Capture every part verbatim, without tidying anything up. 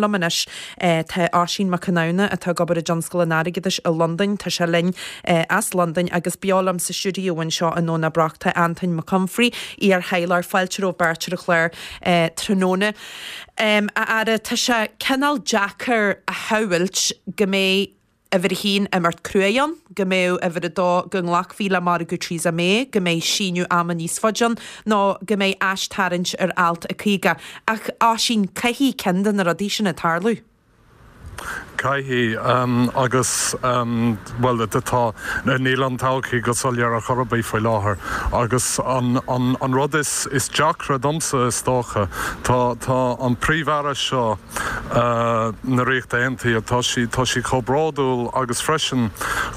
Liom anois tá Oisín Mac Conamhna atá ag obair i dtionscal an airgeadais i Londain, tá sé linn as Londain agus beo liom sa stiúideo anseo i nDomhnach Broc tá Antoin Mac Humphrey, iar-thaidhleoir, fáilte romhaibh beirt ar an chlár tráthnóna. A fheara, tá sé cineál deacair a shamhailt go mbeidh uimhir a haon imeacht cruaidh ann, go mbeadh uimhir a dó go nglacfaí le margadh Theresa May, go mbeidh síneadh ama níos faide ann, nó go mbeidh aistarraingt ar alt a caoga. Ach, Oisín, caithfidh ceann de na rudaí sin tarlú. Caithfidh agus bhuel tá níl an todhchaí go soiléir ar chor ar bith faoi láthair agus an an an rud is is deacra domsa is dócha tá tá an príomh-aire seo na Ríochta Aontaithe tá sí tá sí chomh bródúil agus freisin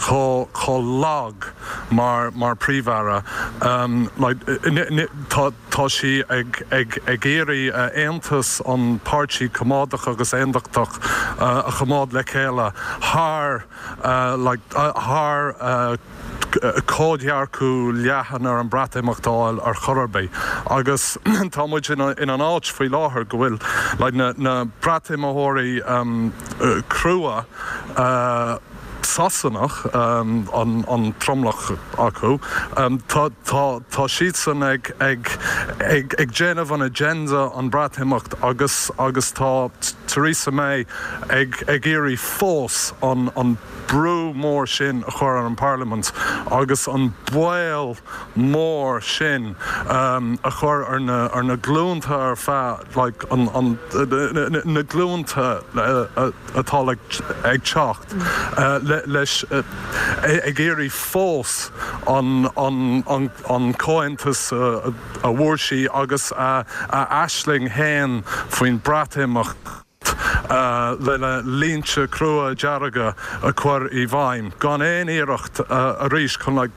chomh chomh lag mar mar príomh-aire like tá tá sí ag ag ag iarraidh aontas an páirtí coimeádach agus aontachtach a choimeád le chéile thar like thar comhdhearcadh leathan ar an Breatimeacht a fháil ar chor ar bith agus tá muid in in an áit faoi láthair go bhfuil like na na Breatimeoirí um, crua uh, Sasanach um, an, an tromlach acu um, tá, tá, tá siadsan ag, ag, ag, ag déanamh an agenda an Breatimeacht agus agus tá Theresa May ag, ag iarraidh fós an, an brú mór sin a chur ar an Parliament agus an baol mór sin um, a chur ar na, ar na glúnta ar feadh like, an, an, na, na glúnta uh, atá like, ag teacht uh, le, leis uh, ag iarraidh fós an, an, an, an comhaontas uh, a bhfuair sí agus a, a aisling féin faoin Breatimeacht. Uh, le le línte crua dearga a chur i bhfeidhm, gan aon iarracht uh, arís chun like,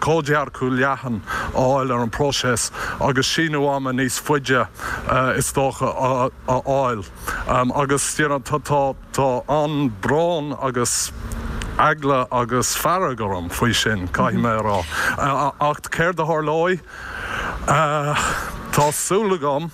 comhdhearcadh leathan a fháil ar an próiseas agus síneadh ama níos faide uh, is dócha a fháil. Um, agus you know, tá tá tá an brón agus eagla agus fearg orm faoi sin caithfidh mé rá. Uh, ach céard a tharlóidh uh, Tá súil agam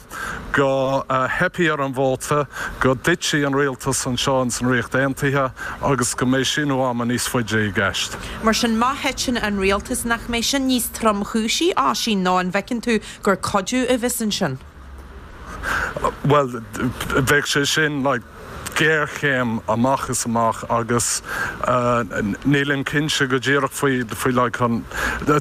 go uh, dteipfidh ar an vóta go dtitfidh an rialtas anseo in san Ríocht Aontaithe agus go mbeidh síneadh ama níos faide i gceist. Mar sin má thiteann an rialtas nach mbeidh sin níos tromchúisí Oisín nó an bhfeiceann tú gur cuidiú a bheas ansin. Well bheadh sé sin like, géarchéim amach is amach agus uh, nílim cinnte go díreach faoi faoi like, an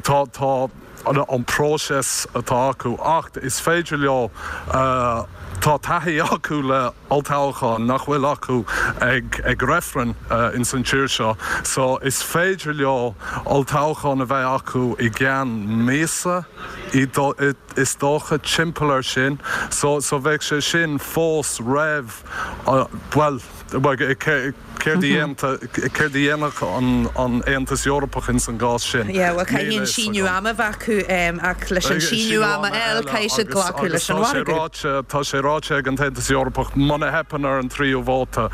tá tá an próiseas atá acu ach is féidir leo uh, tá taithí acu le olltoghchán nach bhfuil acu ag ag reifreann uh, in san tír seo, so is féidir leo olltoghchán a bheith acu i gceann míosa is dócha timpeall ar sin, so so bheadh sé sin fós roimh uh, well céard a dhéanfadh an an Aontas Eorpach in san gcás sin. Ja, well caithfidh an síneadh ama bheith acu ach leis an síneadh ama eile caithfidh siad glacadh leis an mhargadh. Tá sé ráite ag an Aontas Eorpach muna theipeann ar an tríú vóta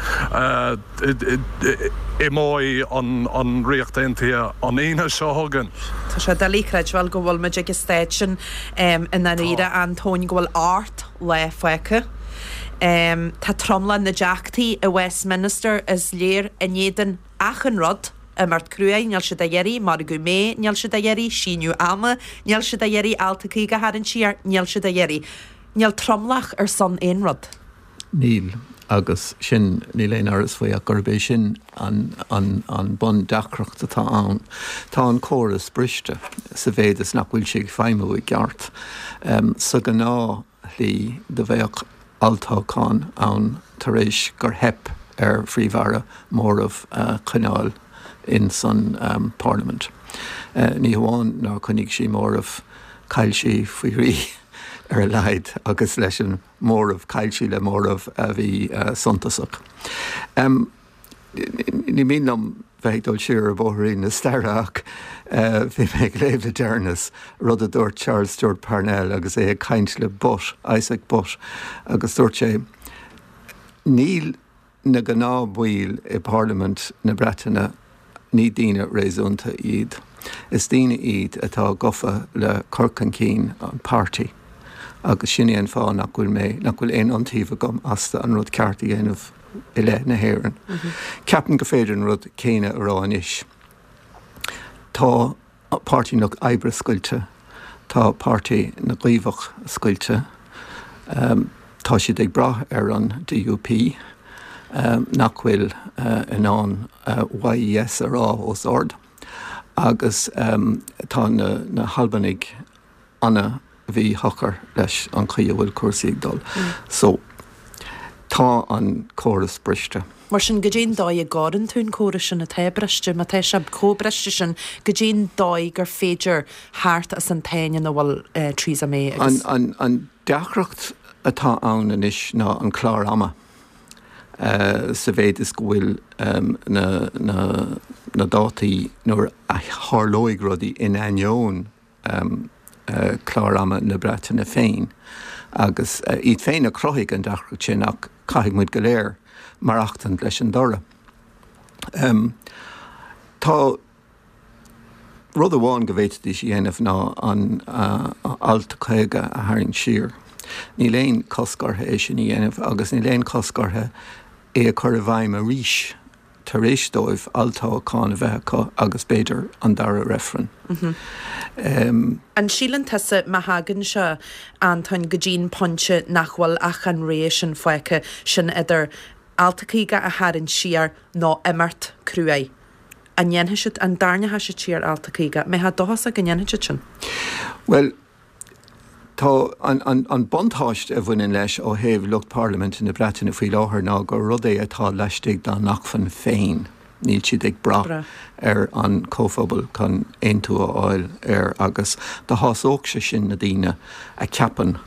imeoidh an an Ríocht Aontaithe an Aoine seo chugainn. Tá sé doiligh a chreidbheáil go bhfuil muid ag an staid sin i ndáiríre Antóin go bhfuil ocht lá fágtha. Um, tá tromlach na dteachtaí i Westminster is léir in éadan achan rud imeacht cruaidh níl siad á iarraidh, margadh May níl siad á iarraidh, síneadh ama níl siad á iarraidh alt a caoga a tharraingt siar níl siad á iarraidh. Níl tromlach ar son aon rud. Níl agus sin níl aon amhras faoi ach gurb é sin an, an, an bundeacracht atá ann. Tá an córas briste sa mhéid is nach bhfuil sé ag feidhmiú i gceart. Um, sa ghnáthshlí do bheadh olltoghchán ann tar éis gur theip ar phríomh-aire móramh uh, coinneáil in san um, Parliament. Uh, ní hamháin nár choinnigh sí móramh chaill sí faoi thrí ar a laghad agus leis an móramh chaill sí le móramh a bhí uh, suntasach. Um, ní mian liom bheith dul siar ar bhóithrín na staire ach bhí mé ag léamh le deireanas rud a dúirt Charles Stewart Parnell agus é ag caint le Butt Isaac Butt agus dúirt sé níl na gnáthbhaill i Parliament na Breataine ní daoine réasúnta iad. Is daoine iad atá gafa le cur chun cinn an páirtí. agus sin é an fáth nach bhfuil mé nach bhfuil aon iontaoibh agam astu an rud ceart a dhéanamh. i leith na hÉireann. Ceapaim gur féidir an rud céanna a rá anois. Tá Páirtí an Lucht Oibre scoilte, tá Páirtí na gCaomhach scoilte, tá siad ag brath ar an D U P nach bhfuil in ann Y E S a rá os ard agus tá na hAlbanaigh ana-mhíshocair leis an chaoi a bhfuil cúrsaí ag dul. So tá an córas briste. Mar sin, goidé'n dóigh a gcóireann tú an córas sin atá briste, má tá sé chomh briste sin, goidé'n dóigh gur féidir theacht as an tsáinn ina bhfuil Theresa May agus. An, an, an deacracht atá ann anois ná an clár ama. Uh, sa mhéid is go bhfuil um, na, na, na dátaí nuair a tharlóidh rudaí in ainneoin um, uh, clár ama na Breataine féin. Agus uh, iad féin a chruthaigh an deacracht sin, ach caithfidh muid go léir maireachtaint leis an dtoradh. Um, tá rud amháin go bhféadfaidís a dhéanamh ná an uh, alt caoga a tharraingt siar. Níl aon cosc orthu é sin a dhéanamh agus níl aon cosc orthu é a chur i bhfeidhm arís tar éis dóibh olltoghchán a bheith acu agus b'fhéidir an dara reifreann. Mm -hmm. um, An síleann tusa, má thagann sé, Antoin, go dtí'n pointe nach bhfuil ach an rogha sin fágtha, sin idir alt caoga a tharraingt siar nó imeacht cruaidh, an ndéanfaidh siad, an dtarraingeoidh siad siar alt caoga? Mbeifeá dóchasach go ndéanfaidh siad sin? Well, tá an, an, an buntáiste a bhaineann leis ó thaobh lucht parlaiminte na Breataine faoi láthair ná gur rud é atá laistigh dá n-acmhainn féin. Níl siad ag brath ar an comhphobal chun aontú a fháil air agus do shásódh sé sin na daoine a cheapann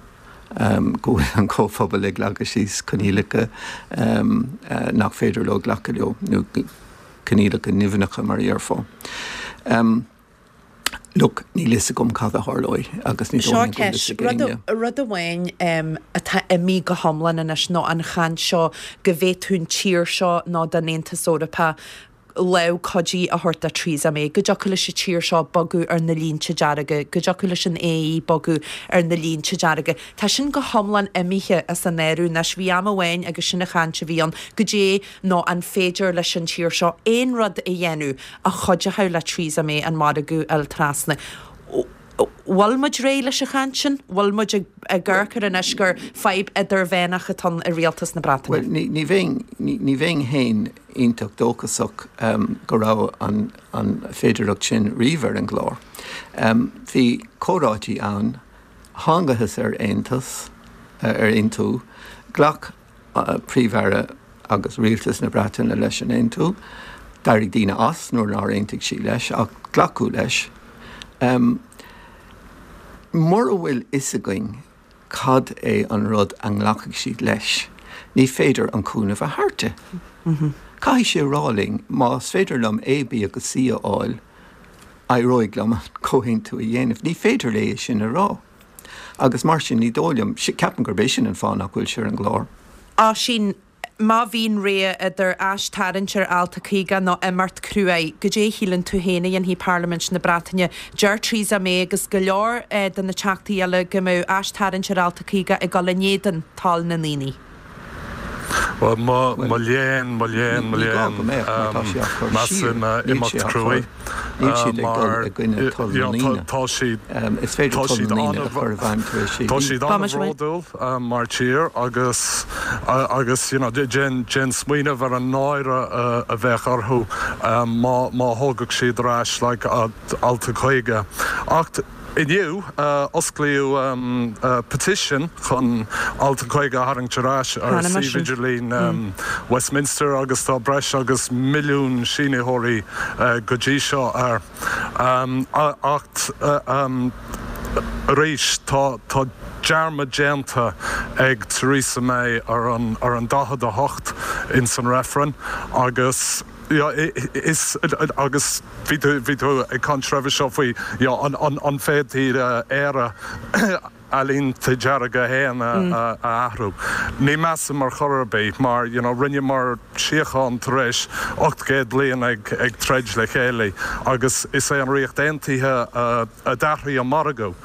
um, go bhfuil an comhphobal ag leagadh síos coinníollacha um, uh, nach féidir leo glacadh leo, nó coinníollacha nimhneacha mar a déarfá. Um, Look, níl fhios agam cad a tharlóidh agus ní Seo ceist, rud amháin um, atá imithe go hiomlán anois nó an chaint seo go bhféadfadh an tír seo nó don Aontas Eorpach lámh cuidí a thabhairt do Theresa May, go dtiocfadh leis an tír seo bogadh ar na línte dearga, go dtiocfadh leis an A E bogadh ar na línte dearga. Tá sin go hiomlán imithe as an áireamh anois. Bhí am amháin agus sin an chaint a bhí ann, goidé nó an féidir leis an tír seo aon rud a dhéanamh a chuideochadh le Theresa May an margadh a fháil trasna. Bhfuil muid réidh leis an chaint sin? Bhfuil muid ag amharc air anois gur fadhb idirmheánach atá i rialtas na Breataine? Well, ní, ní bheinn ní, ní bheinn féin iontach dóchasach um, go raibh an, an féidearthacht sin riamh ar an gclár. Um, bhí comhráití ann, thángthas ar aontas, uh, ar aontú, ghlac uh, príomh-aire agus rialtas na Breataine leis an aontú, d'éirigh daoine as nuair nár aontaigh siad leis, ach glacadh leis. Um, Mura bhfuil fhios againn cad é an rud a nglacfaidh siad leis, ní féidir an cúnamh a thabhairt di. Mm -hmm. Caithfidh sé rá linn, más féidir liom A, B agus C a fháil, éireoidh liom an comhaontú a dhéanamh. Ní féidir léi sin a rá. Agus mar sin ní dóigh liom, ceapaim gurb é sin an fáth nach bhfuil sé ar an gclár. Oisín, má bhíonn rogha idir aistarraingt ar alt caoga nó imeacht cruaidh, goidé a shíleann tú féin a dhéanfaidh Parlaimint na Breataine? Deir Theresa May agus go leor de na teachtaí eile go mbeadh aistarraingt ar alt caoga ag dul in éadan toil na ndaoine. Well, mo mo léan mo léan mo léan measaim imeacht cruaidh mar tá siad Is féidir tá siad tá siad an-bhródúil mar tír agus agus you know, déan déan smaoineamh ar an náire a bheadh orthu má má thógadh siad ar ais like, alt caoga. Ach inniu osclaíodh um, uh, petition chun alt caoga a tharraingt ar ais ar suíomh idirlín um, Westminster agus tá breis agus milliún sínitheoirí uh, go dtí seo air. Um, ach uh, um, arís tá tá dearmad déanta ag Theresa May ar an ar an daichead a hocht in san reifreann agus ja, is agus bhí bhí tú ag caint roimhe seo faoi ja, an, an, an féidir Éire a línte dearga féin a athrú. Ní measaim mar chor ar bith mar you know, rinneamar síocháin tar éis ocht gcéad bliain ag, ag troid le chéile agus is é an Ríocht Aontaithe a d'athraigh an margadh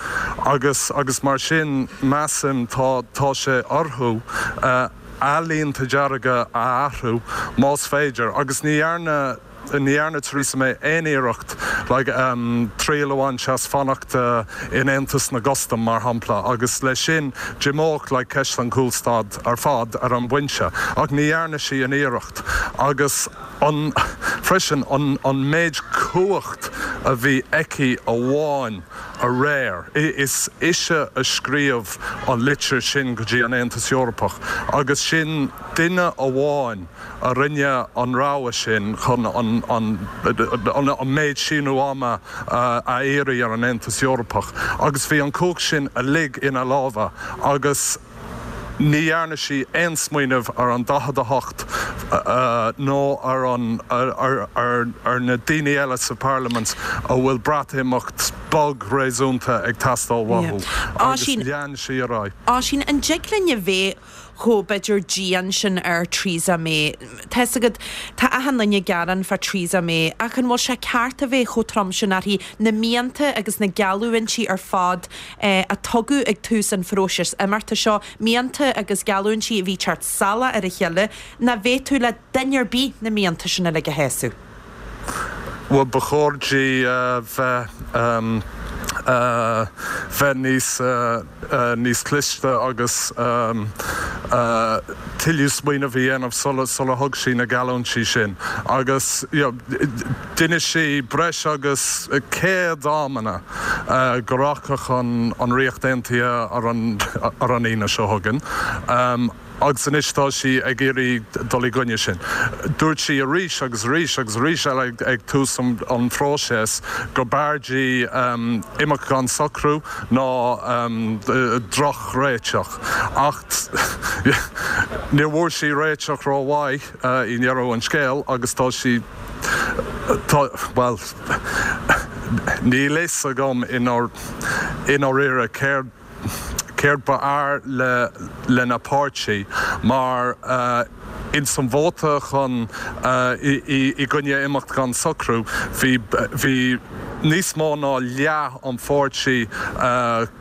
agus agus mar sin measaim tá tá sé orthu uh, a línte dearga a athrú más féidir agus ní dhearna ní dhearna Theresa May aon iarracht like, um, triail a bhaint as fanacht uh, in Aontas na gCustam mar shampla agus leis sin d'imeodh like, ceist an chúlstad ar fad ar an bpointe ach ní dhearna sí an iarracht agus an freisin an, an méid cumhacht a bhí aici amháin aréir. Is ise a scríobh an litir sin go dtí an Aontas Eorpach agus sin duine amháin a rinne an rogha sin chun an, an, an, an méid síneadh ama a iarraidh ar an Aontas Eorpach agus bhí an cumhacht sin uilig ina lámha agus ní dhearna sí aon smaoineamh ar an daichead a hocht nó ar an ar, ar, ar na daoine eile sa Parlaimint a bhfuil Breatimeacht bog réasúnta ag teastáil uathu agus lean sí ar aghaidh. Oisín, an dtig linn a bheith chomh b'fhéidir dian sin ar Theresa May. Tá's agat, tá achan duine ag gearán fá Theresa May, ach an bhfuil sé ceart a bheith chomh trom sin uirthi, na mianta agus na geallúintí ar fad a tugadh ag tús an phróisis imeachta seo, mianta agus geallúintí a bhí ag teacht salach ar a chéile, nach bhféadfadh le duine ar bith na mianta sin uilig a shásamh? Bhuel, ba chóir di bheith bheith níos níos cliste agus tuilleadh smaoineamh a dhéanamh sula sula thug sí na geallúintí sin. Agus d'inis sí breis agus céad amanna go rachadh an an Ríocht Aontaithe ar an ar an Aoine seo chugainn. Agus anois tá sí ag iarraidh dul i gcoinne sin. Dúirt sí arís agus arís agus arís eile ag tús an phróisis go mb'fhearr di imeacht gan socrú ná drochréiteach. Ach níor bhfuair sí réiteach rómhaith i ndeireadh an scéil agus tá sí tá bhuel níl a fhios agam i ndáiríre céard céard ba fhearr le lena páirtí mar ins an vóta chun i gcoinne imeacht gan socrú bhí bhí níos mó ná leath an pháirtí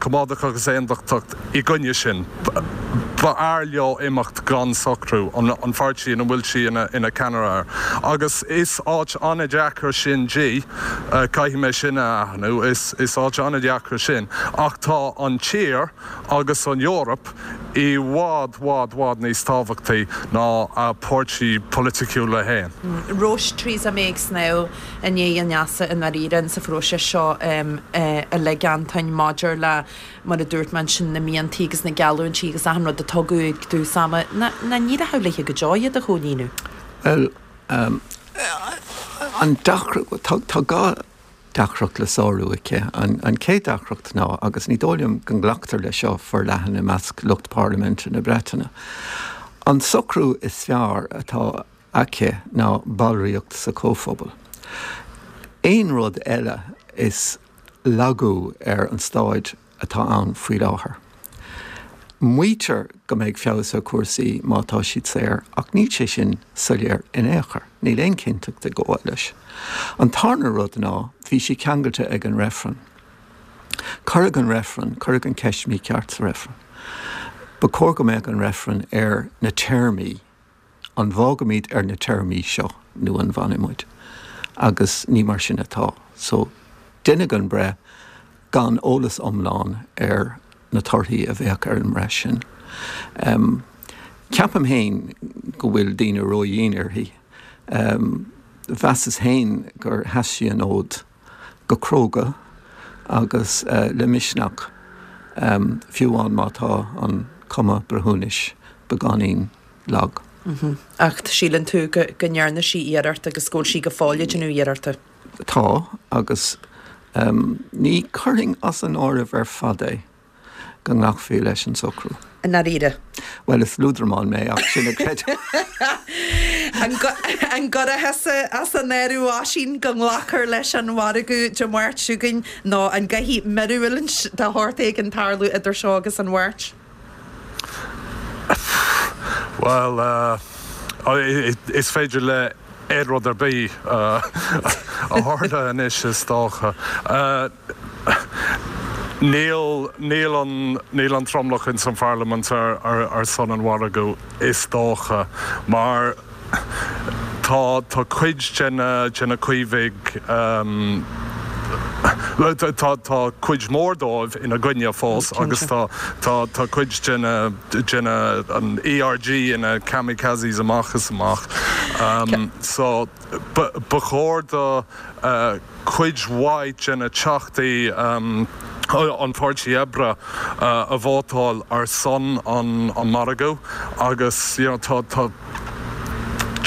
Coimeádach agus Aontachtach i gcoinne sin. Ba fhearr leo imeacht gan socrú, an pháirtí ina bhfuil sí ina ina ceannaire air. Agus is áit an-deacair sin di, caithfidh mé sin a aithniú, is is áit an-deacair sin. Ach tá an tír agus an Eoraip i bhfad, bhfad, bhfad níos tábhachtaí ná a páirtí polaitiúla féin. Raibh Theresa May ag snámh in aghaidh an easa i ndáiríre sa phróiseas seo uilig, Antoin, maidir le, mar a dúirt mé ansin, na miantaí agus na geallúintí agus achan rud a tugadh ag tús ama, ná ní raibh léi go deo iad a chomhlíonadh? Bhuel, an deacracht, tá dhá deacracht le sárú aici. An chéad deacracht ná, agus ní dóigh liom go nglactar leis seo forleathan i measc lucht parlaiminte na Breataine, an socrú is fearr atá aici ná ballraíocht sa Chomhphobal. Aon rud eile is lagú ar an staid atá ann faoi láthair. Maítear go mbeidh feabhas ar chúrsaí má tá siad saor, ach níl sé sin soiléir in aon chor. Níl aon chinnteacht ag gabháil leis. An tarna rud ná, bhí sí ceangailte ag an reifreann. Cuireadh an reifreann, cuireadh an ceist mícheart sa reifreann. Ba chóir go mbeadh an reifreann ar na téarmaí, an bhfágaimid ar na téarmaí seo nó an bhfanfaimid? Agus ní mar sin atá. So, deineadh an breith gan eolas iomlán ar na torthaí a bheadh ar an mbreith sin. Ceapaim féin go bhfuil daoine ródhian uirthi. Mheasas féin gur sheas sí an fhód go cróga agus le misneach, fiú amháin má tá an cuma breithiúnais beagáinín lag. Ach síleann tú go ndearna sí iarracht agus go bhfuil sí go fóill ag déanamh iarrachta? Tá, agus ní chuirfinn as an áireamh ar fad é go nglacfaí leis an socrú. I ndáiríre? Bhuel, is liúdramán mé ach sin a chreidim. An gcuirfeá thusa as an áireamh, Oisín, go nglacfar leis an mhargadh Dé Máirt seo chugainn nó an gcaithfidh míorúilt de shórt éigin tarlú idir seo agus an Mháirt? Bhuel, is féidir le aon rud ar bith a tharlú anois, is dócha. Níl níl an níl an tromlach in san pharlaimint ar, ar, ar son an mhargaidh is dócha mar tá tá cuid de na de na Caomhaigh um, tá tá cuid mór dóibh ina gcoinne fós agus tá tá tá cuid de na de na an ERG ina kamikazes amach is amach. Um, so ba chóir do uh, cuid mhaith de na teachtaí um, an Pháirtí Oibre uh, a vótáil ar son an, an margadh agus you know, tá tá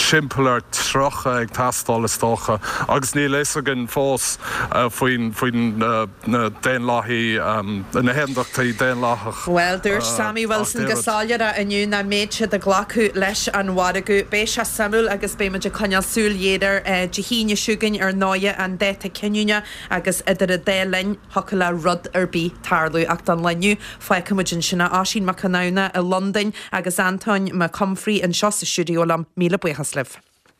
timpeall ar tríocha ag teastáil is dócha agus níl a fhios againn fós uh, faoin faoin uh, na Daonlathaigh um, na hAondachtaí Daonlathach. Well dúirt uh, Sammy Wilson go soiléir inniu nach mbeidh siad ag glacadh leis an mhargadh beidh sé suimiúil agus beimid ag coinneáil súil air Dé hAoine seo chugainn ar ndóigh an dáta cinniúna agus idir an dá linn thiocfadh le rud ar bith tarlú ach don lá inniu fágfaimid ansin é Oisín Mac Conamhna i Londain agus Antóin Mac Humphrey anseo sa stiúideo liom míle buíochas libh.